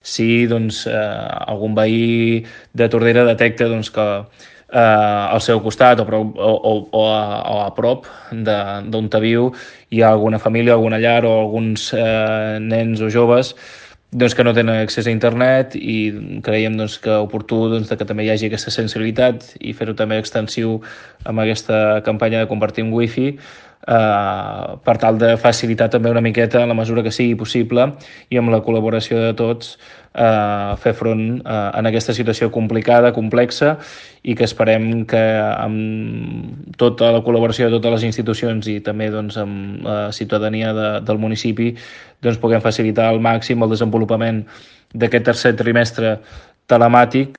si doncs, algun veí de Tordera detecta doncs, que al seu costat o a prop d'on viu hi ha alguna família, alguna llar o alguns nens o joves doncs, que no tenen accés a internet, i creiem doncs, que oportú doncs, que també hi hagi aquesta sensibilitat i fer-ho també extensiu amb aquesta campanya de compartir un wifi, per tal de facilitar també una miqueta, en la mesura que sigui possible i amb la col·laboració de tots, fer front en aquesta situació complicada, complexa, i que esperem que amb tota la col·laboració de totes les institucions i també doncs, amb la ciutadania del municipi doncs, puguem facilitar al màxim el desenvolupament d'aquest tercer trimestre telemàtic,